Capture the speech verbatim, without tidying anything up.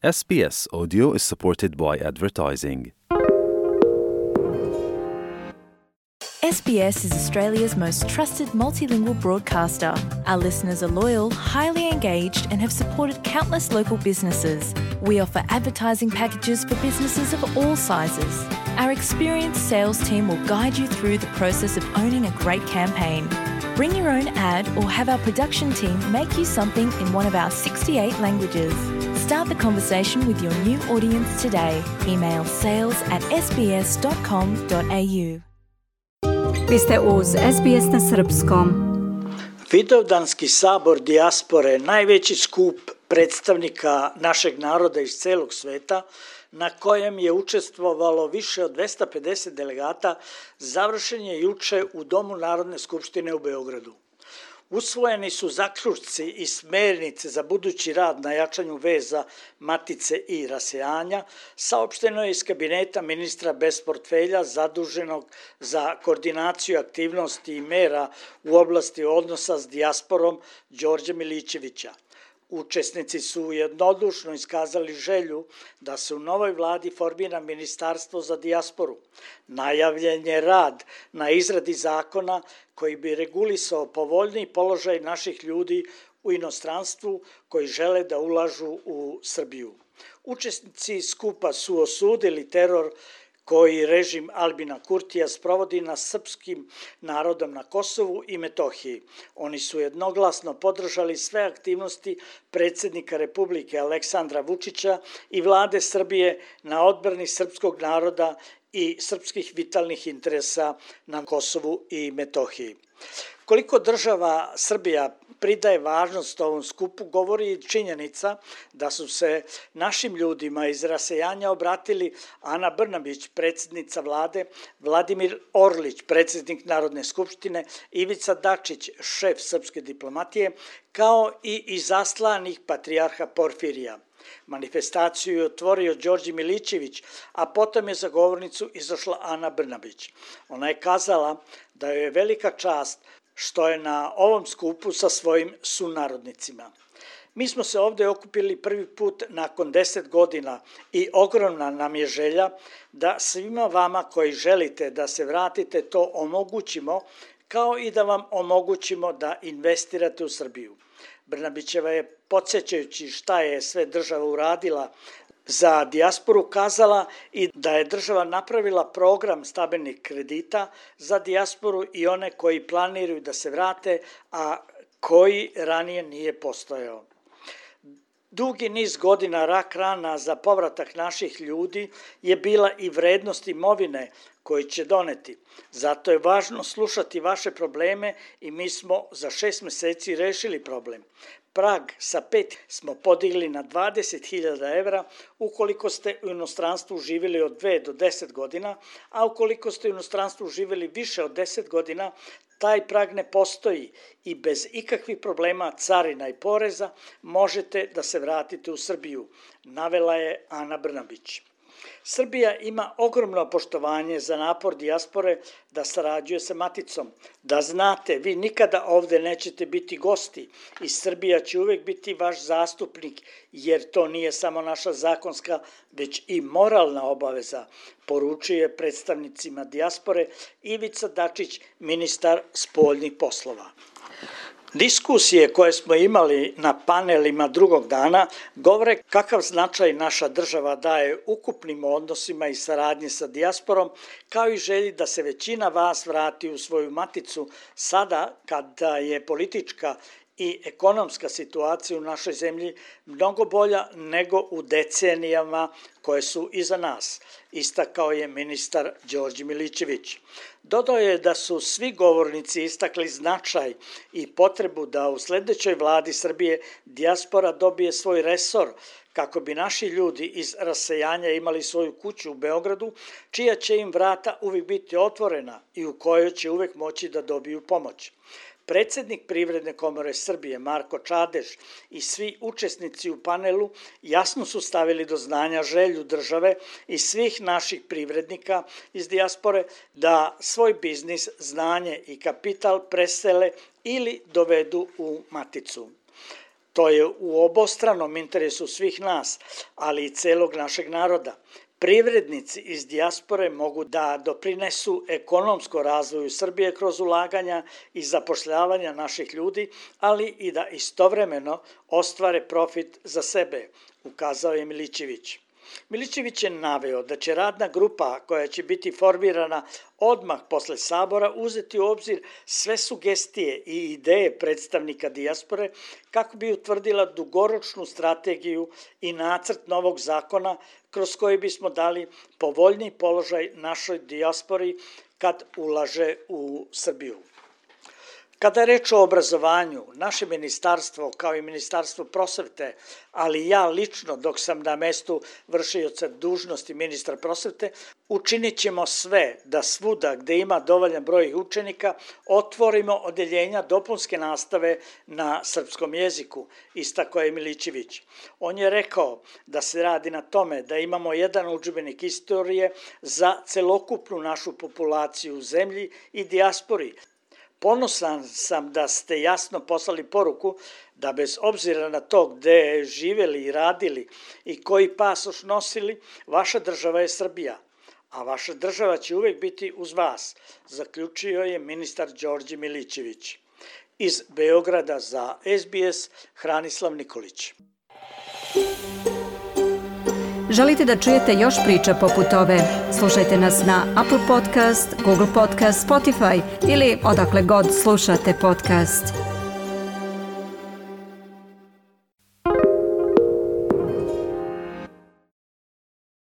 S B S Audio is supported by advertising. S B S is Australia's most trusted multilingual broadcaster. Our listeners are loyal, highly engaged, and have supported countless local businesses. We offer advertising packages for businesses of all sizes. Our experienced sales team will guide you through the process of owning a great campaign. Bring your own ad or have our production team make you something in one of our sixty-eight languages. Start the conversation with your new audience today. Email sales at s b s dot com dot a u. Vi ste uz S B S na srpskom. Vidovdanski sabor dijaspore, najveći skup predstavnika našeg naroda iz celog sveta, na kojem je učestvovalo više od dvesta pedeset delegata, završen je juče u Domu Narodne skupštine u Beogradu. Usvojeni su zaključci i smernice za budući rad na jačanju veza matice i rasejanja, saopšteno je iz kabineta ministra bez portfelja zaduženog za koordinaciju aktivnosti i mera u oblasti odnosa s dijasporom Đorđa Milićevića. Učesnici su jednodušno iskazali želju da se u novoj vladi formira Ministarstvo za dijasporu. Najavljen je rad na izradi zakona koji bi regulisao povoljniji položaj naših ljudi u inostranstvu koji žele da ulažu u Srbiju. Učesnici skupa su osudili teror koji režim Albina Kurtija sprovodi na srpskim narodom na Kosovu i Metohiji. Oni su jednoglasno podržali sve aktivnosti predsjednika Republike Aleksandra Vučića i vlade Srbije na odbrani srpskog naroda i srpskih vitalnih interesa na Kosovu i Metohiji. Koliko država Srbija pridaje važnost ovom skupu govori činjenica da su se našim ljudima iz rasejanja obratili Ana Brnabić, predsjednica vlade, Vladimir Orlić, predsjednik Narodne skupštine, Ivica Dačić, šef srpske diplomatije, kao i izaslanih patrijarha Porfirija. Manifestaciju je otvorio Đorđe Milićević, a potom je za govornicu izašla Ana Brnabić. Ona je kazala da joj je velika čast što je na ovom skupu sa svojim sunarodnicima. Mi smo se ovdje okupili prvi put nakon deset godina i ogromna nam je želja da svima vama koji želite da se vratite to omogućimo, kao i da vam omogućimo da investirate u Srbiju. Brnabićeva je, podsjećajući šta je sve država uradila za dijasporu, kazala i da je država napravila program stambenih kredita za dijasporu i one koji planiraju da se vrate, a koji ranije nije postojao. Dugi niz godina rak rana za povratak naših ljudi je bila i vrednost imovine koji će doneti. Zato je važno slušati vaše probleme i mi smo za šest meseci rešili problem. Prag sa pet smo podigli na dvadeset hiljada evra ukoliko ste u inostranstvu živjeli od dve do deset godina, a ukoliko ste u inostranstvu živjeli više od deset godina, taj prag ne postoji i bez ikakvih problema carina i poreza možete da se vratite u Srbiju, navela je Ana Brnabić. Srbija ima ogromno poštovanje za napor dijaspore da sarađuje sa maticom. Da znate, vi nikada ovdje nećete biti gosti i Srbija će uvijek biti vaš zastupnik, jer to nije samo naša zakonska, već i moralna obaveza, poručuje predstavnicima dijaspore Ivica Dačić, ministar spoljnih poslova. Diskusije koje smo imali na panelima drugog dana govore kakav značaj naša država daje ukupnim odnosima i saradnji sa dijasporom, kao i želji da se većina vas vrati u svoju maticu sada kada je politička i ekonomska situacija u našoj zemlji mnogo bolja nego u decenijama koje su iza nas, istakao je ministar Đorđe Milićević. Dodao je da su svi govornici istakli značaj i potrebu da u sljedećoj vladi Srbije dijaspora dobije svoj resor kako bi naši ljudi iz rasejanja imali svoju kuću u Beogradu, čija će im vrata uvijek biti otvorena i u kojoj će uvijek moći da dobiju pomoć. Predsjednik Privredne komore Srbije Marko Čadež i svi učesnici u panelu jasno su stavili do znanja želju države i svih naših privrednika iz dijaspore da svoj biznis, znanje i kapital presele ili dovedu u maticu. To je u obostranom interesu svih nas, ali i celog našeg naroda. Privrednici iz dijaspore mogu da doprinesu ekonomskom razvoju Srbije kroz ulaganja i zapošljavanja naših ljudi, ali i da istovremeno ostvare profit za sebe, ukazao je Milićević. Milićević je naveo da će radna grupa koja će biti formirana odmah posle sabora uzeti u obzir sve sugestije i ideje predstavnika dijaspore kako bi utvrdila dugoročnu strategiju i nacrt novog zakona kroz koji bismo dali povoljniji položaj našoj dijaspori kad ulaže u Srbiju. Kada je reč o obrazovanju, naše ministarstvo, kao i Ministarstvo prosvete, ali ja lično dok sam na mestu vršioca dužnosti ministra prosvete, učinit ćemo sve da svuda gde ima dovoljan broj učenika otvorimo odeljenja dopunske nastave na srpskom jeziku, istakao je Milićević. On je rekao da se radi na tome da imamo jedan udžbenik istorije za celokupnu našu populaciju u zemlji i dijaspori. Ponosan sam da ste jasno poslali poruku da bez obzira na to gde živeli i radili i koji pasoš nosili, vaša država je Srbija, a vaša država će uvek biti uz vas, zaključio je ministar Đorđe Milićević. Iz Beograda za S B S, Hranislav Nikolić. Želite da čujete još priča poput ove? Slušajte nas na Apple Podcast, Google Podcast, Spotify ili odakle god slušate podcast.